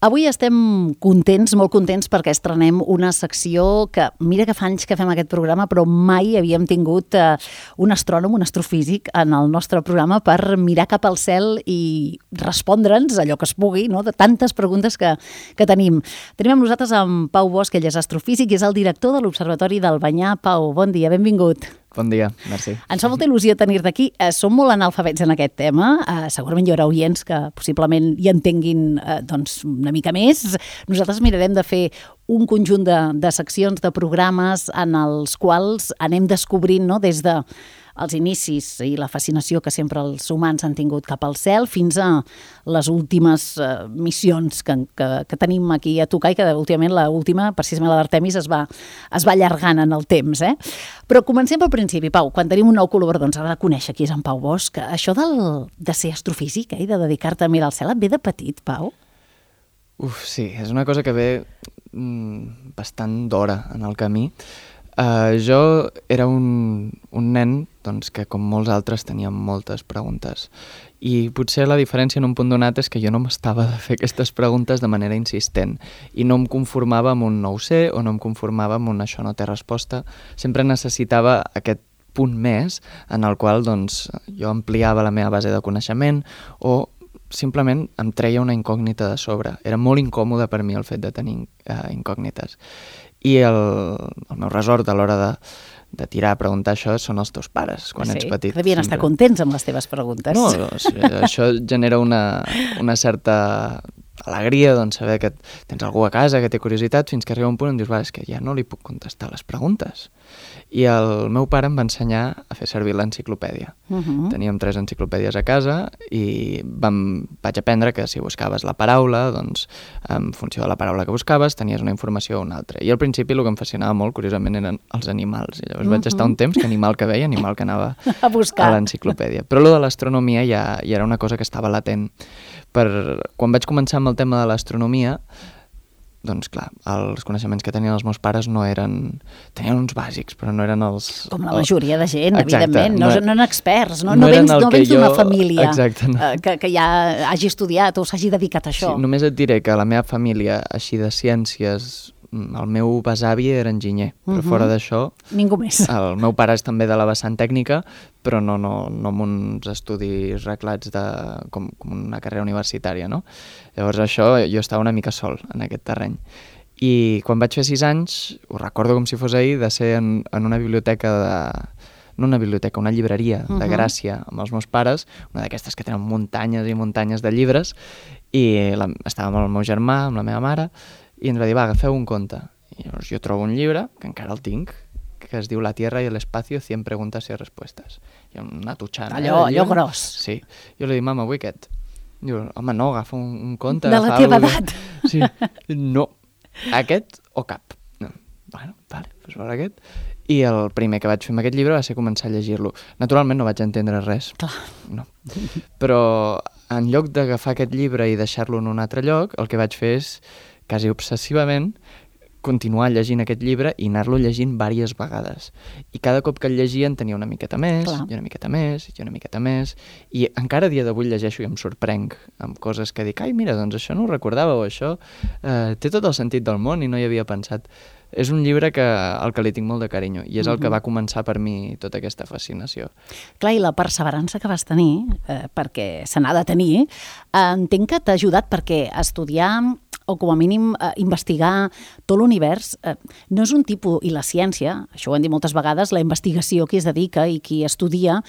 Avui estem contents, molt contents, perquè estrenem una secció que, mira que fa anys que fem aquest programa, però mai havíem tingut un astrònom, un astrofísic en el nostre programa per mirar cap al cel i respondre'ns allò que es pugui, no?, de tantes preguntes que tenim. Tenim amb nosaltres en Pau Bosch, ell és astrofísic i és el director de l'Observatori d'Albanyà. Pau, bon dia, benvingut. Bon dia, merci. Ens fa molta il·lusió tenir-te aquí. Som molt analfabets en aquest tema. Segurament hi haurà oients que possiblement hi entenguin una mica més. Nosaltres mirarem de fer un conjunt de seccions, de programes en els quals anem descobrint, no?, des de els inicis i la fascinació que sempre els humans han tingut cap al cel fins a les últimes missions que tenim aquí a tocar i que últimament l'última, precisament la d'Artemis, es va allargant en el temps. Però comencem pel principi, Pau. Quan tenim un nou col·laborador ens ha de conèixer qui és en Pau Bosch. Això de ser astrofísic i de dedicar-te a mirar el cel et ve de petit, Pau? Sí, és una cosa que ve bastant d'hora en el camí. Jo era un nen que, com molts altres, tenia moltes preguntes. I potser la diferència en un punt donat és que jo no m'estava de fer aquestes preguntes de manera insistent i no em conformava amb un no ho sé o no em conformava amb un això no té resposta. Sempre necessitava aquest punt més en el qual jo ampliava la meva base de coneixement o simplement em treia una incògnita de sobre. Era molt incòmode per mi el fet de tenir incògnites. I el meu resort a l'hora de tirar a preguntar això són els teus pares, quan ets petit. Sí, devien estar contents amb les teves preguntes. No, això genera una certa alegria, saber que tens algú a casa que té curiositat, fins que arriba un punt on dius, és que ja no li puc contestar les preguntes. I el meu pare em va ensenyar a fer servir l'enciclopèdia. Teníem 3 enciclopèdies a casa i vaig aprendre que si buscaves la paraula, en funció de la paraula que buscaves, tenies una informació o una altra. I al principi el que em fascinava molt, curiosament, eren els animals. I llavors vaig estar un temps que animal que veia, animal que anava a buscar a l'enciclopèdia. Però allò de l'astronomia ja era una cosa que estava latent. Quan vaig començar amb el tema de l'astronomia, clar, els coneixements que tenien els meus pares tenien uns bàsics, però no eren els... Com la majoria de gent, evidentment, no eren experts, no vens d'una família que ja hagi estudiat o s'hagi dedicat a això. Sí, només et diré que la meva família, així de ciències, el meu besavi era enginyer, però fora d'això... Ningú més. El meu pare és també de la vessant tècnica, però no amb uns estudis reglats com una carrera universitària, no? Llavors això, jo estava una mica sol en aquest terreny. I quan vaig fer 6 anys, ho recordo com si fos ahir, de ser en una biblioteca una llibreria de Gràcia amb els meus pares, una d'aquestes que tenen muntanyes i muntanyes de llibres, i estàvem amb el meu germà, amb la meva mare, i ens va dir, agafeu un conte. I llavors jo trobo un llibre, que encara el tinc, que es diu La Tierra y el Espacio, 100 preguntas y respuestas. I una tutxana. Allò gros. Sí. Jo li dic, mama, vull aquest. Diu, home, no, agafa un conte. De la teva edat. Sí. No. Aquest o cap. No. Bueno, vale, doncs veure aquest. I el primer que vaig fer amb aquest llibre va ser començar a llegir-lo. Naturalment no vaig entendre res. Clar. No. Però en lloc d'agafar aquest llibre i deixar-lo en un altre lloc, el que vaig fer és quasi obsessivament continuar llegint aquest llibre i anar-lo llegint diverses vegades. I cada cop que el llegia en tenia una miqueta més, i una miqueta més, i una miqueta més, i encara a dia d'avui llegeixo i em sorprenc amb coses que dic, ai, mira, doncs això no ho recordava, o això té tot el sentit del món i no hi havia pensat. És un llibre al que li tinc molt de carinyo i és el que va començar per mi tota aquesta fascinació. Clar, i la perseverança que vas tenir, perquè se n'ha de tenir, entenc que t'ha ajudat perquè estudiar o com a mínim investigar tot l'univers no és un tipus, i la ciència, això ho hem dit moltes vegades, la investigació qui es dedica i qui estudia,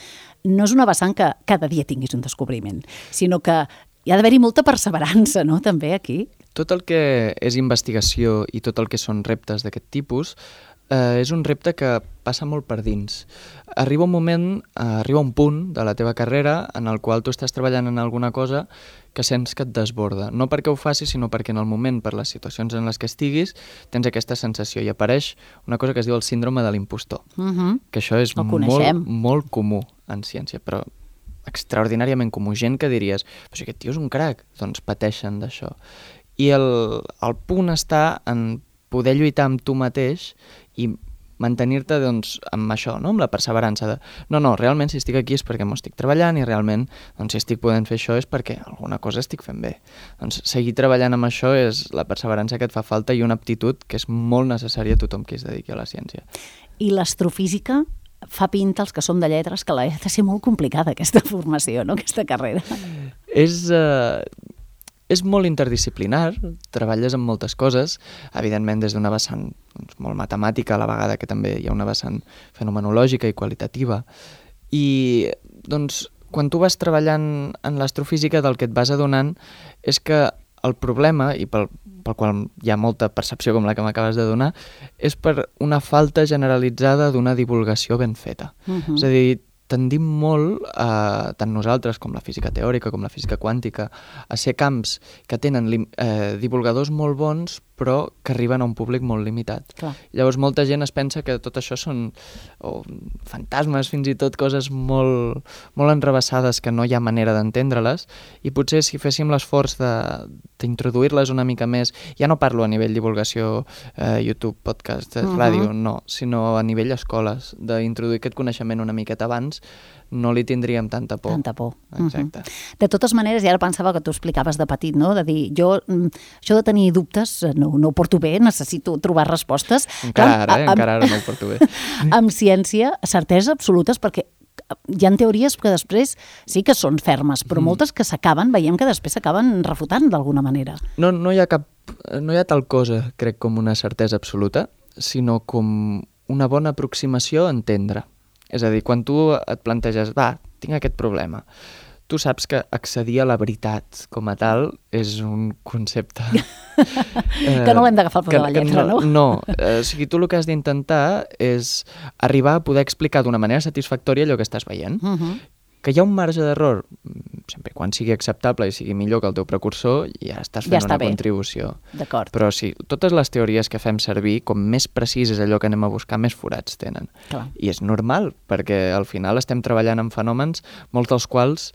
no és una vessant que cada dia tinguis un descobriment, sinó que hi ha d'haver-hi molta perseverança, no?, també aquí. Tot el que és investigació i tot el que són reptes d'aquest tipus és un repte que passa molt per dins. Arriba un punt de la teva carrera en el qual tu estàs treballant en alguna cosa que sents que et desborda. No perquè ho facis, sinó perquè en el moment, per les situacions en les que estiguis, tens aquesta sensació i apareix una cosa que es diu el síndrome de l'impostor. Que això és molt comú en ciència, però extraordinàriament comú. Gent que diries, però si aquest tio és un crac, doncs pateixen d'això. I el punt està en poder lluitar amb tu mateix i mantenir-te doncs, amb això, no? Amb la perseverança de no, realment si estic aquí és perquè m'ho estic treballant i realment doncs, si estic podent fer això és perquè alguna cosa estic fent bé. Doncs seguir treballant amb això és la perseverança que et fa falta i una aptitud que és molt necessària a tothom qui es dediqui a la ciència. I l'astrofísica fa pinta als que som de lletres que ha de ser molt complicada aquesta formació, no? Aquesta carrera. És molt interdisciplinar, treballes amb moltes coses, evidentment des d'una vessant doncs, molt matemàtica, a la vegada que també hi ha una vessant fenomenològica i qualitativa. I doncs, quan tu vas treballant en l'astrofísica, del que et vas adonant és que el problema, i pel qual hi ha molta percepció com la que m'acabes de donar, és per una falta generalitzada d'una divulgació ben feta. És a dir, tendim molt, tant nosaltres com la física teòrica, com la física quàntica, a ser camps que tenen divulgadors molt bons, però que arriben a un públic molt limitat. Clar. Llavors molta gent es pensa que tot això són fantasmes, fins i tot coses molt, molt enrevessades que no hi ha manera d'entendre-les, i potser si féssim l'esforç d'introduir-les una mica més, ja no parlo a nivell divulgació, YouTube, podcast, ràdio, no, sinó a nivell escoles, d'introduir aquest coneixement una miqueta abans, no li tindríem tanta por. Tanta por. Exacte. De totes maneres, i ara pensava que tu explicaves de petit, no? De dir, jo, això de tenir dubtes, no ho porto bé, necessito trobar respostes. Encara ara no ho porto bé. Amb ciència, certesa absolutes, perquè hi ha teories que després sí que són fermes, però moltes que veiem que després s'acaben refutant d'alguna manera. No hi ha tal cosa, crec, com una certesa absoluta, sinó com una bona aproximació a entendre. És a dir, quan tu et planteges, tinc aquest problema, tu saps que accedir a la veritat com a tal és un concepte... que no l'hem d'agafar al peu de la lletra, no? No, o sigui, tu el que has d'intentar és arribar a poder explicar d'una manera satisfactòria allò que estàs veient. Que hi ha un marge d'error, sempre quan sigui acceptable i sigui millor que el teu precursor, ja estàs fent una contribució. D'acord. Però sí, totes les teories que fem servir, com més precís és allò que anem a buscar, més forats tenen. Clar. I és normal, perquè al final estem treballant amb fenòmens, molts dels quals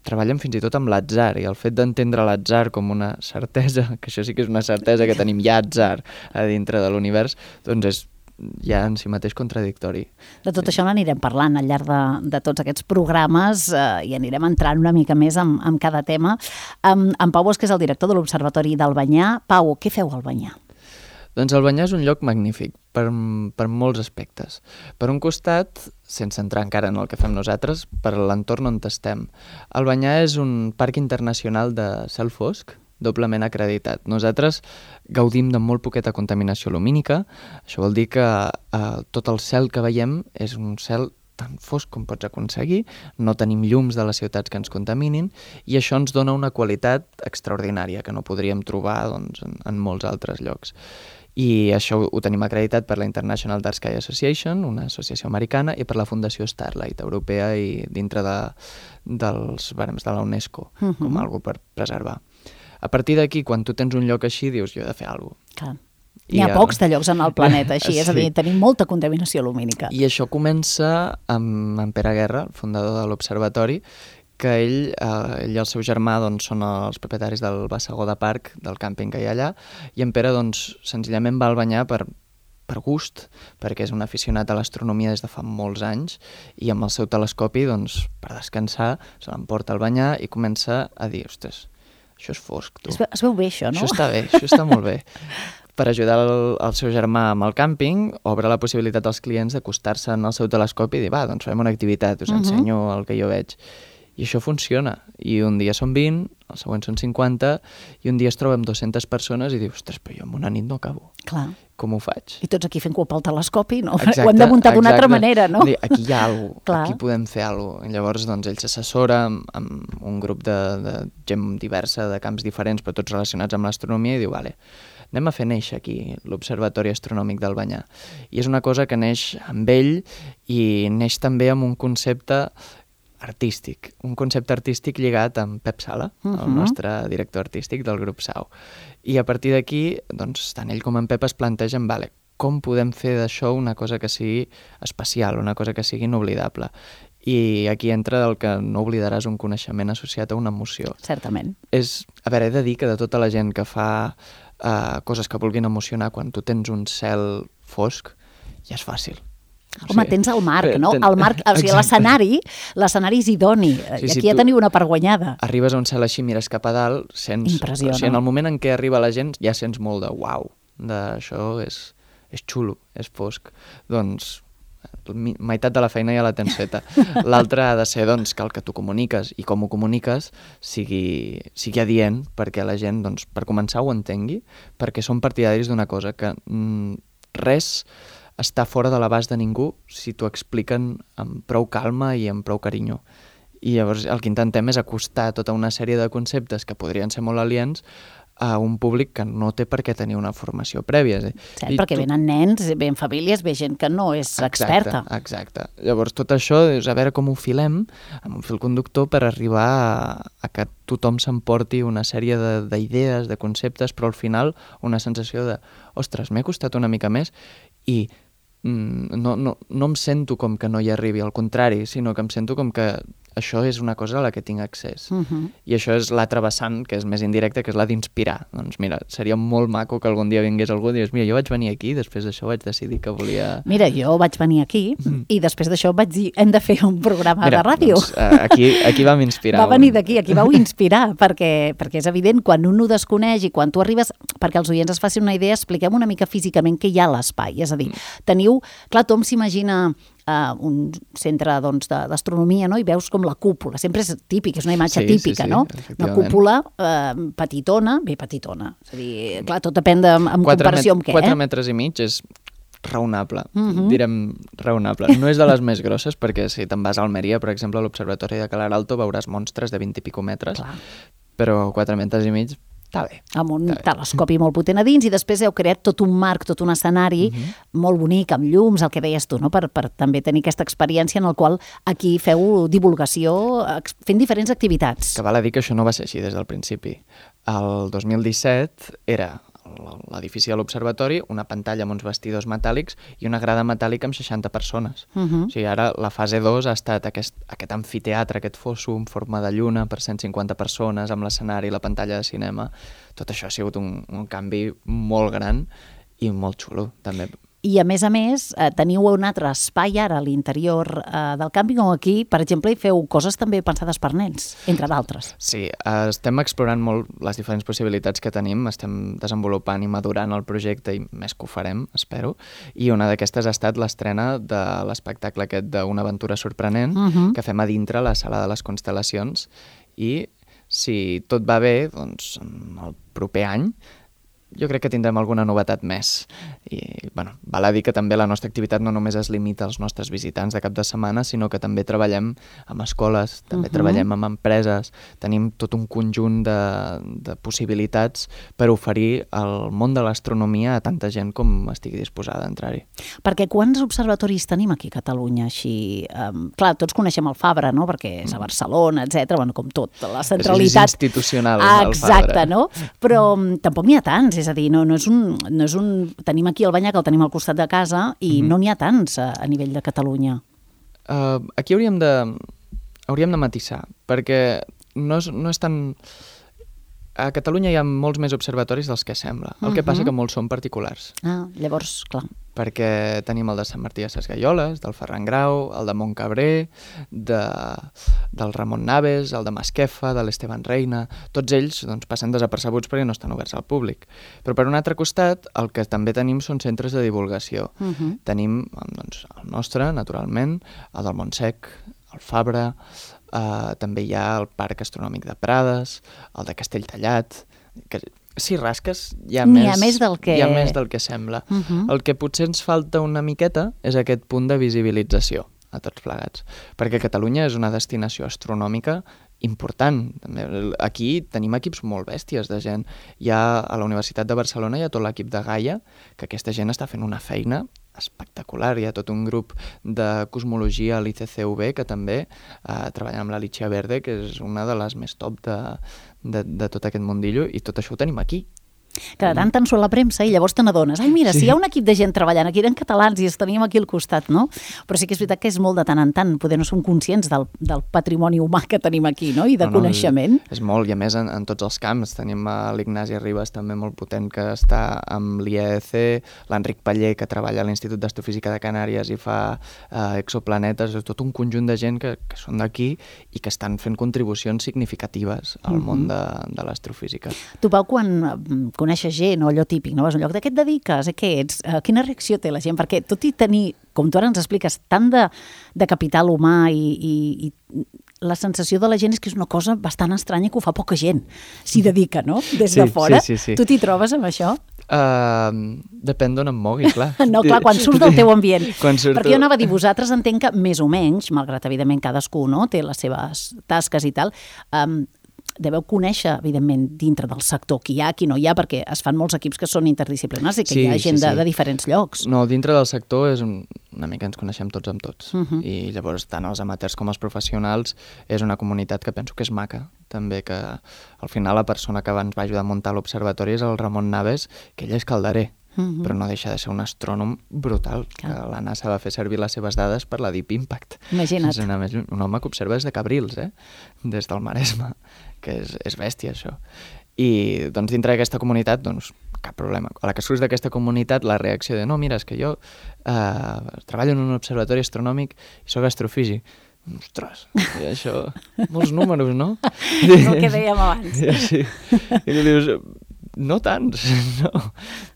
treballen fins i tot amb l'atzar, i el fet d'entendre l'atzar com una certesa, que això sí que és una certesa que tenim ja atzar a dintre de l'univers, doncs és ja en si mateix contradictori. De tot això n'anirem parlant al llarg de tots aquests programes i anirem entrant una mica més en cada tema. En Pau Bosch, que és el director de l'Observatori d'Albanyà. Pau, què feu a Albanyà? Doncs Albanyà és un lloc magnífic per molts aspectes. Per un costat, sense entrar encara en el que fem nosaltres, per l'entorn on estem. Albanyà és un parc internacional de cel fosc, doblement acreditat. Nosaltres gaudim de molt poqueta contaminació lumínica, això vol dir que tot el cel que veiem és un cel tan fosc com pots aconseguir, no tenim llums de les ciutats que ens contaminin, i això ens dona una qualitat extraordinària que no podríem trobar doncs, en molts altres llocs. I això ho tenim acreditat per la International Dark Sky Association, una associació americana, i per la Fundació Starlight europea i dintre dels barems de la UNESCO, com algo per preservar. A partir d'aquí, quan tu tens un lloc així, dius, jo he de fer alguna cosa. N'hi ha pocs de llocs en el planeta així, és a dir, tenim molta contaminació lumínica. I això comença amb en Pere Guerra, el fundador de l'Observatori, que ell i el seu germà doncs, són els propietaris del Bassegó de Parc, del càmping que hi ha allà, i en Pere doncs, senzillament va a Albanyà per gust, perquè és un aficionat a l'astronomia des de fa molts anys, i amb el seu telescopi, doncs, per descansar, se l'emporta a Albanyà i comença a dir, ostres, això és fosc, tu. Es veu bé, això, no? Això està bé, això està molt bé. Per ajudar el seu germà amb el càmping, obre la possibilitat als clients d'acostar-se en el seu telescopi i dir, doncs fem una activitat, us ensenyo el que jo veig. I això funciona. I un dia són 20, el següent són 50, i un dia es troba amb 200 persones i dius, ostres, però jo en una nit no acabo. Clar. Com ho faig? I tots aquí fent cua pel telescopi, no? Exacte, ho hem de muntar d'una altra manera, no? Aquí hi ha alguna cosa, aquí podem fer alguna cosa. Llavors, doncs, ell s'assessora amb un grup de gent diversa, de camps diferents, però tots relacionats amb l'astronomia, i diu, vale, anem a fer néixer aquí l'Observatori Astronòmic d'Albanyà. I és una cosa que neix amb ell i neix també amb un concepte artístic, un concepte artístic lligat amb Pep Sala, el nostre director artístic del grup SAU. I a partir d'aquí, doncs, tant ell com en Pep es plantegen, vale, com podem fer d'això una cosa que sigui especial, una cosa que sigui inoblidable. I aquí entra el que no oblidaràs un coneixement associat a una emoció. Certament. A veure, he de dir que de tota la gent que fa coses que vulguin emocionar, quan tu tens un cel fosc, ja és fàcil. Home, tens el marc, no? El marc, o sigui, l'escenari és idoni. I aquí ja teniu una part guanyada. Arribes a un cel així, mires cap a dalt, sents... Impressiona. O sigui, en el moment en què arriba la gent ja sents molt de uau, d'això és xulo, és fosc. Doncs meitat de la feina ja la tens feta. L'altra ha de ser doncs, que el que tu comuniques i com ho comuniques sigui adient perquè la gent, doncs, per començar, ho entengui, perquè som partidaris d'una cosa, que res està fora de l'abast de ningú si t'ho expliquen amb prou calma i amb prou carinyo. I llavors el que intentem és acostar tota una sèrie de conceptes que podrien ser molt aliens a un públic que no té per què tenir una formació prèvia. Sí, perquè venen nens, ven famílies, ve gent que no és experta. Exacte. Llavors tot això és a veure com ho filem amb un fil conductor per arribar a que tothom s'emporti una sèrie d'idees, de conceptes, però al final una sensació de ostres, m'he costat una mica més i no em sento com que no hi arribi, al contrari, sinó que em sento com que això és una cosa a la que tinc accés. I això és l'altre vessant, que és més indirecte, que és la d'inspirar. Doncs mira, seria molt maco que algun dia vingués algú i digués, mira, jo vaig venir aquí, després d'això vaig decidir que volia... Mira, jo vaig venir aquí i després d'això vaig dir, hem de fer un programa de ràdio. Doncs, aquí vam inspirar. Va venir d'aquí, aquí vau inspirar, perquè és evident, quan un ho desconeix i quan tu arribes, perquè els oients es facin una idea, expliquem una mica físicament què hi ha a l'espai. És a dir, teniu... Clar, tothom s'imagina un centre d'astronomia, no? I veus com la cúpula, sempre és típic, és una imatge típica, no? Una cúpula petitona, petitona, és a dir, clar, tot depèn en comparació amb què. 4 metres i mig és raonable, direm raonable. No és de les més grosses, perquè si te'n vas a Almeria, per exemple, a l'Observatori de Calar Alto veuràs monstres de 20 i pico metres, però 4 metres i mig està bé. Amb un telescopi molt potent a dins i després heu creat tot un marc, tot un escenari molt bonic, amb llums, el que deies tu, no? Per també tenir aquesta experiència en el qual aquí feu divulgació fent diferents activitats. Que val a dir que això no va ser així des del principi. El 2017 era l'edifici de l'Observatori, una pantalla amb uns vestidors metàl·lics i una grada metàl·lica amb 60 persones. O sigui, ara la fase 2 ha estat aquest amfiteatre, aquest fosso en forma de lluna per 150 persones, amb l'escenari, la pantalla de cinema. Tot això ha sigut un canvi molt gran i molt xulo, també. I, a més, teniu un altre espai ara a l'interior del càmping on aquí, per exemple, hi feu coses també pensades per nens, entre d'altres. Sí, estem explorant molt les diferents possibilitats que tenim, estem desenvolupant i madurant el projecte i més que ho farem, espero, i una d'aquestes ha estat l'estrena de l'espectacle aquest d'Una aventura sorprenent, que fem a dintre la sala de les constel·lacions, i si tot va bé, doncs el proper any jo crec que tindrem alguna novetat més. I, bueno, val a dir que també la nostra activitat no només es limita als nostres visitants de cap de setmana, sinó que també treballem amb escoles, també treballem amb empreses, tenim tot un conjunt de possibilitats per oferir el món de l'astronomia a tanta gent com estigui disposada a entrar-hi. Perquè quants observatoris tenim aquí a Catalunya? Així, clar, tots coneixem el Fabra, no? Perquè és a Barcelona, etc. Bueno, com tot, la centralitat... És institucional, el Fabra. Exacte, no? Però tampoc n'hi ha tants, és a dir, no és un... Tenim aquí el Banyà, que el tenim al costat de casa, i no n'hi ha tants a nivell de Catalunya. Aquí hauríem de matisar, perquè no és tan... A Catalunya hi ha molts més observatoris dels que sembla. El que passa que molts són particulars. Llavors, clar. Perquè tenim el de Sant Martí de Sesgueioles, del Ferran Grau, el de Montcabrer, del Ramon Naves, el de Masquefa, de l'Esteban Reina... Tots ells passen desapercebuts perquè no estan oberts al públic. Però per un altre costat, el que també tenim són centres de divulgació. Tenim el nostre, naturalment, el del Montsec, el Fabra... també hi ha el Parc Astronòmic de Prades, el de Castelltallat, que si rasques hi ha més del que sembla. El que potser ens falta una miqueta és aquest punt de visibilització a tots plegats, perquè Catalunya és una destinació astronòmica important. Aquí tenim equips molt bèsties de gent. A la Universitat de Barcelona hi ha tot l'equip de Gaia, que aquesta gent està fent una feina espectacular. Hi ha tot un grup de cosmologia a l'ICCV que també treballa amb l'Alicia Verde, que és una de les més top de tot aquest mundillo, i tot això ho tenim aquí. Que de tant en surt la premsa i llavors te n'adones. Ai, mira, si hi ha un equip de gent treballant aquí, eren catalans i els teníem aquí al costat, no? Però sí que és veritat que és molt de tant en tant. Poder no som conscients del patrimoni humà que tenim aquí, no? I de coneixement. És molt, i a més en tots els camps. Tenim l'Ignasi Ribas, també molt potent, que està amb l'IEC, l'Enric Paller, que treballa a l'Institut d'Astrofísica de Canàries i fa exoplanetes. És tot un conjunt de gent que són d'aquí i que estan fent contribucions significatives al món de l'astrofísica. Tu, Pau, quan coneixes gent o allò típic, no? Vas a un lloc, de què et dediques? Què ets? Quina reacció té la gent? Perquè tot i tenir, com tu ara ens expliques, tant de capital humà i la sensació de la gent és que és una cosa bastant estranya que ho fa poca gent, s'hi dedica, no? Des de fora. Sí. Tu t'hi trobes amb això? Depèn d'on em mogui, clar. No, clar, quan surts del teu ambient. Perquè jo anava a dir, vosaltres entenc que més o menys, malgrat evidentment cadascú no té les seves tasques i tal, deveu conèixer, evidentment, dintre del sector qui hi ha, qui no hi ha, perquè es fan molts equips que són interdisciplinars i que hi ha gent de diferents llocs. No, dintre del sector és una mica ens coneixem tots amb tots. I llavors, tant els amateurs com els professionals, és una comunitat que penso que és maca. També que al final la persona que ens va ajudar a muntar l'observatori és el Ramon Naves, que ell és calderer. Però no deixa de ser un astrònom brutal, que la NASA va fer servir les seves dades per la Deep Impact. Imagina't. És un home que observa des de Cabrils, des del Maresme, que és bèstia, això. I doncs, dintre d'aquesta comunitat, doncs, cap problema. A la que surts d'aquesta comunitat, la reacció de no, mira, és que jo treballo en un observatori astronòmic i sóc astrofísic. Ostres, i això, molts números, no? És el que dèiem abans. Sí. I tu dius, no tants, no.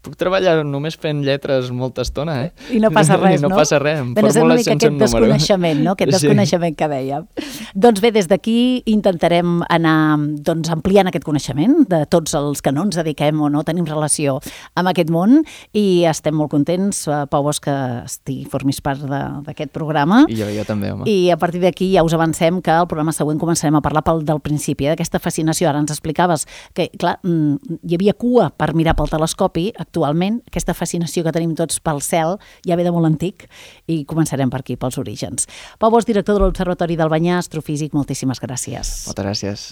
Puc treballar només fent lletres molta estona, I no passa res, no? No passa res, amb fórmules sense un número. És una mica aquest desconeixement, no? Aquest desconeixement que dèiem. Doncs bé, des d'aquí intentarem anar ampliant aquest coneixement de tots els que no ens dediquem o no tenim relació amb aquest món i estem molt contents, Pau Bosch, que formis part d'aquest programa. I jo també, home. I a partir d'aquí ja us avancem que el programa següent començarem a parlar del principi, d'aquesta fascinació. Ara ens explicaves que, clar, hi havia cua per mirar pel telescopi. Actualment, aquesta fascinació que tenim tots pel cel ja ve de molt antic i començarem per aquí, pels orígens. Pau Bosch, director de l'Observatori d'Albanyà, astrofísic, moltíssimes gràcies. Moltes gràcies.